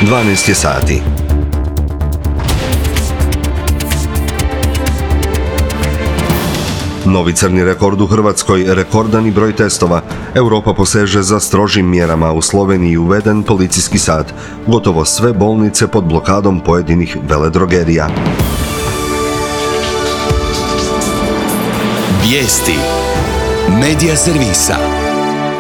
12 je sati. Novi crni rekord u Hrvatskoj, rekordani broj testova. Europa poseže za strožim mjerama. U Sloveniji uveden policijski sat. Gotovo sve bolnice pod blokadom pojedinih veledrogerija. Vijesti Medija servisa.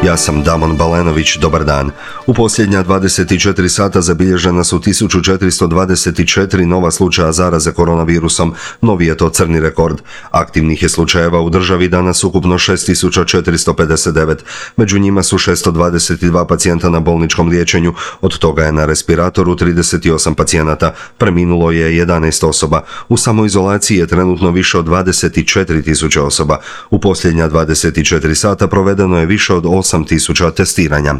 Ja sam Damon Balenović, dobar dan. U posljednja 24 sata zabilježena su 1424 nova slučaja zaraze koronavirusom. Novi je to crni rekord. Aktivnih je slučajeva u državi danas ukupno 6459. Među njima su 622 pacijenta na bolničkom liječenju, od toga je na respiratoru 38 pacijenata. Preminulo je 11 osoba. U samoizolaciji je trenutno više od 24.000 osoba. U posljednja 24 sata provedeno je više od 8.000 testiranja.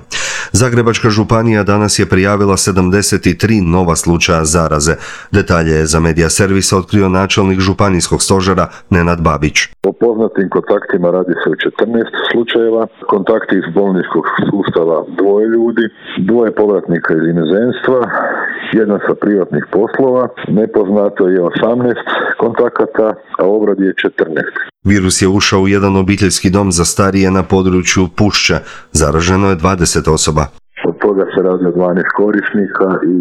Zagrebačka županija danas je prijavila 73 nova slučaja zaraze. Detalje je za Medija servis otkrio načelnik županijskog stožera Nenad Babić. Po poznatim kontaktima radi se o 14 slučajeva, kontakti iz bolničkog sustava 2 ljudi, 2 povratnika iz inozemstva, 1 sa privatnih poslova, nepoznato je 18 kontakata, a obrad je 14. Virus je ušao u jedan obiteljski dom za starije na području Pušće. Zaraženo je 20 osoba. Od toga se radi o 12 korisnika i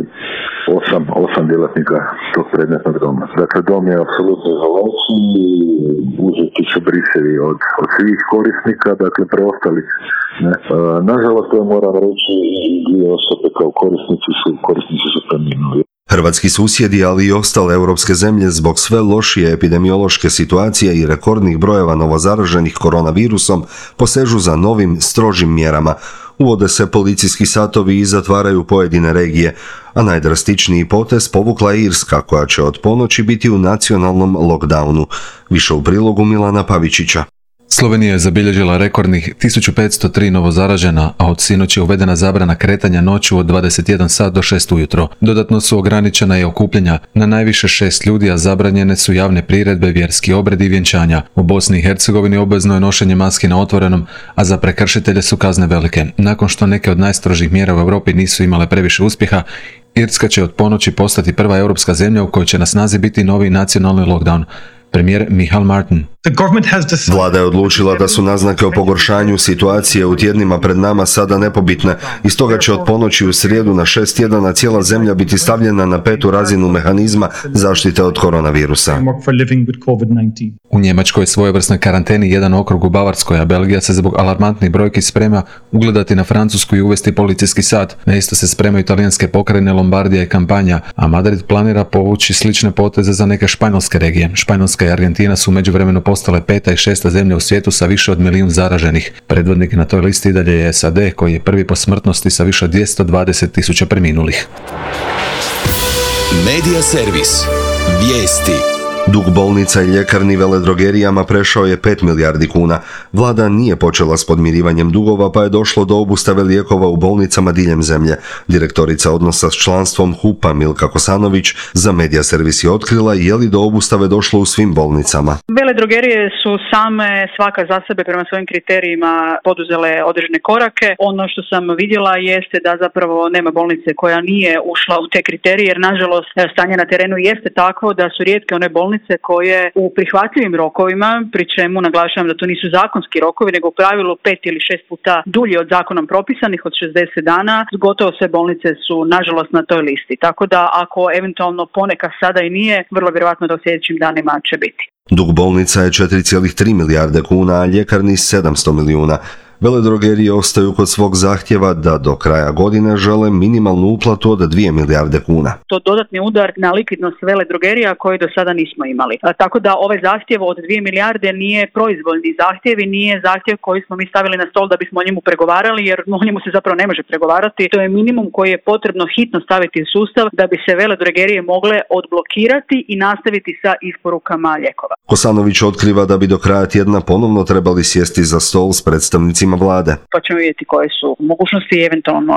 8 djelatnika tog predmetnog doma. Dakle, dom je apsolutno izolaciji, uzeti su brisevi od svih korisnika, dakle preostalih. Nažalost, to moram reći, i 2 osobe kao korisnici su preminuli. Hrvatski susjedi, ali i ostale europske zemlje zbog sve lošije epidemiološke situacije i rekordnih brojeva novozaraženih koronavirusom posežu za novim, strožim mjerama. Uvode se policijski satovi i zatvaraju pojedine regije, a najdrastičniji potez povukla je Irska, koja će od ponoći biti u nacionalnom lockdownu. Više u prilogu Milana Pavičića. Slovenija je zabilježila rekordnih 1503 novozaražena, a od sinoć je uvedena zabrana kretanja noću od 21 sat do 6 ujutro. Dodatno su ograničena i okupljanja na najviše 6 ljudi, a zabranjene su javne priredbe, vjerski obredi i vjenčanja. U Bosni i Hercegovini obvezno je nošenje maski na otvorenom, a za prekršitelje su kazne velike. Nakon što neke od najstrožih mjera u Europi nisu imale previše uspjeha, Irska će od ponoći postati prva europska zemlja u kojoj će na snazi biti novi nacionalni lockdown. Premijer Michael Martin. Vlada je odlučila da su naznake o pogoršanju situacije u tjednima pred nama sada nepobitne i stoga će od ponoći u srijedu na 6 tjedana cijela zemlja biti stavljena na 5. razinu mehanizma zaštite od koronavirusa. U Njemačkoj je svojevrsnoj karanteni jedan okrug u Bavarskoj, a Belgija se zbog alarmantnih brojki sprema ugledati na Francusku i uvesti policijski sat. Na isto se spremaju italijanske pokrajine Lombardija i Kampanja, a Madrid planira povući slične poteze za neke španjolske regije. Španjolska i Argentina su međuvremenu postale 5. i 6. zemlja u svijetu sa više od 1 milijun zaraženih. Predvodnik na toj listi dalje je SAD, koji je prvi po smrtnosti sa više od 220.000 preminulih. Medija servis. Vijesti. Dug bolnica i ljekarni veledrogerijama prešao je 5 milijardi kuna. Vlada nije počela s podmirivanjem dugova, pa je došlo do obustave lijekova u bolnicama diljem zemlje. Direktorica odnosa s članstvom HUP-a Milka Kosanović za Medija servis je otkrila je li do obustave došlo u svim bolnicama. Veledrogerije su same svaka za sebe prema svojim kriterijima poduzele određene korake. Ono što sam vidjela jeste da zapravo nema bolnice koja nije ušla u te kriterije, jer nažalost stanje na terenu jeste takvo da su rijetke one bolnice koje u prihvatljivim rokovima, pri čemu naglašavam da to nisu zakonski rokovi, nego u pravilu 5 ili 6 puta dulji od zakonom propisanih od 60 dana, gotovo sve bolnice su nažalost na toj listi. Tako da ako eventualno ponekad sada i nije, vrlo vjerojatno da u sljedećim danima će biti. Dug bolnica je 4,3 milijarde kuna, a ljekarni 700 milijuna. Veledrogerije ostaju kod svog zahtjeva da do kraja godine žele minimalnu uplatu od 2 milijarde kuna. To dodatni udar na likvidnost veledrogerija koji do sada nismo imali. Tako da ovaj zahtjev od 2 milijarde nije proizvoljni zahtjev i nije zahtjev koji smo mi stavili na stol da bismo o njemu pregovarali, jer o njemu se zapravo ne može pregovarati. To je minimum koji je potrebno hitno staviti u sustav da bi se veledrogerije mogle odblokirati i nastaviti sa isporukama lijekova. Kosanović otkriva da bi do kraja tjedna ponovno trebali sjesti za stol s predstavnicima sastancima vlade. Pa ćemo vidjeti koje su mogućnosti i eventualno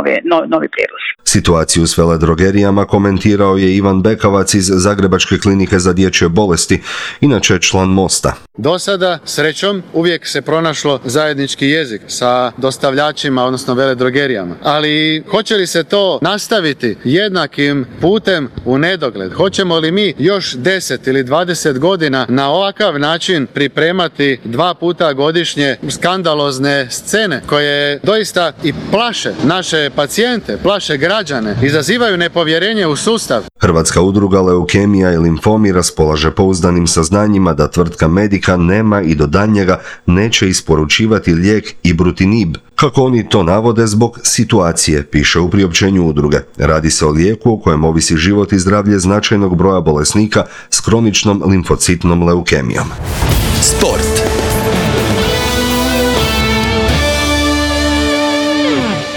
novi prijedlozi. Situaciju s veledrogerijama komentirao je Ivan Bekavac iz Zagrebačke klinike za dječje bolesti, inače član Mosta. Do sada, srećom, uvijek se pronašlo zajednički jezik sa dostavljačima, odnosno veledrogerijama. Ali hoće li se to nastaviti jednakim putem u nedogled? Hoćemo li mi još 10 ili 20 godina na ovakav način pripremati 2 puta godišnje skandalozne scene koje doista i plaše naše pacijente, plaše građane, izazivaju nepovjerenje u sustav? Hrvatska udruga leukemija i limfomi raspolaže pouzdanim saznanjima da tvrtka Medica nema i do daljnjega neće isporučivati lijek Ibrutinib. Kako oni to navode zbog situacije, piše u priopćenju udruge. Radi se o lijeku o kojem ovisi život i zdravlje značajnog broja bolesnika s kroničnom limfocitnom leukemijom. Sport.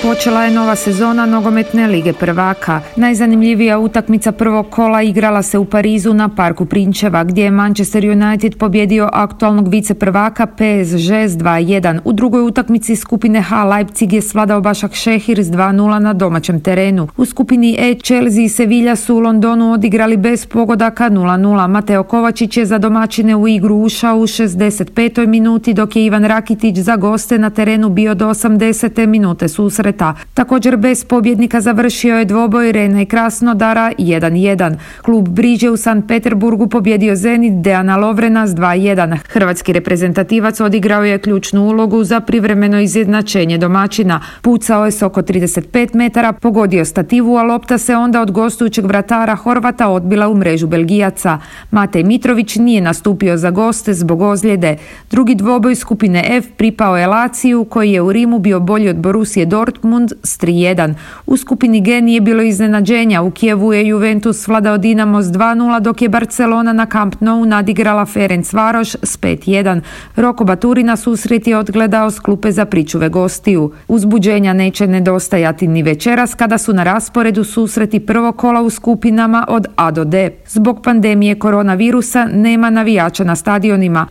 Počela je nova sezona nogometne lige prvaka. Najzanimljivija utakmica prvog kola igrala se u Parizu na Parku Prinčeva, gdje je Manchester United pobjedio aktualnog viceprvaka PSG s 2-1. U drugoj utakmici skupine H Leipzig je svladao Başakşehir s 2-0 na domaćem terenu. U skupini E Chelsea i Sevilla su u Londonu odigrali bez pogodaka 0-0. Mateo Kovačić je za domaćine u igru ušao u 65. minuti, dok je Ivan Rakitić za goste na terenu bio do 80. minute susreta. Također bez pobjednika završio je dvoboj Rena i Krasnodara 1-1. Klub Briđe u Sankt Peterburgu pobjedio Zenit Dejana Lovrena s 2-1. Hrvatski reprezentativac odigrao je ključnu ulogu za privremeno izjednačenje domaćina. Pucao je s oko 35 metara, pogodio stativu, a lopta se onda od gostujućeg vratara Horvata odbila u mrežu Belgijaca. Matej Mitrović nije nastupio za goste zbog ozljede. Drugi dvoboj skupine F pripao je Laziju, koji je u Rimu bio bolji od Borussije Dortmund s 3-1. U skupini G nije bilo iznenađenja. U Kijevu je Juventus svladao Dinamo s 2-0, dok je Barcelona na Camp Nou nadigrala Ferencvaroš s 5-1. Roko Baturina susret je odgledao s klupe za pričuve gostiju. Uzbuđenja neće nedostajati ni večeras, kada su na rasporedu susreti prvog kola u skupinama od A do D. Zbog pandemije koronavirusa nema navijača na stadionima.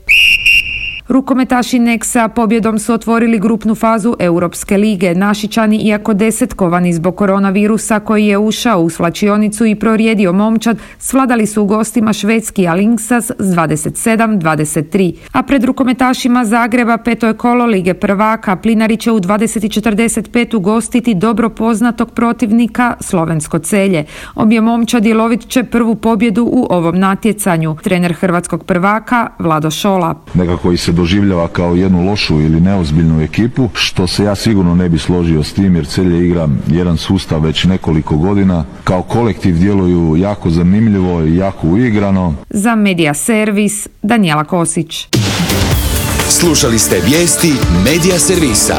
Rukometaši Nexa pobjedom su otvorili grupnu fazu Europske lige. Našičani, iako desetkovani zbog koronavirusa koji je ušao u svlačionicu i prorijedio momčad, svladali su u gostima švedski Alingsas s 27-23. A pred rukometašima Zagreba peto je kolo lige prvaka. Plinari će u 20:45 ugostiti dobro poznatog protivnika Slovensko Celje. Obje momčadi lovit će prvu pobjedu u ovom natjecanju. Trener hrvatskog prvaka Vlado Šola. Nekako se doživljava kao jednu lošu ili neozbiljnu ekipu, što se ja sigurno ne bi složio s tim, jer Celje igra jedan sustav već nekoliko godina. Kao kolektiv djeluju jako zanimljivo i jako uigrano. Za Medija Servis, Danijela Kosić. Slušali ste vijesti Medija Servisa.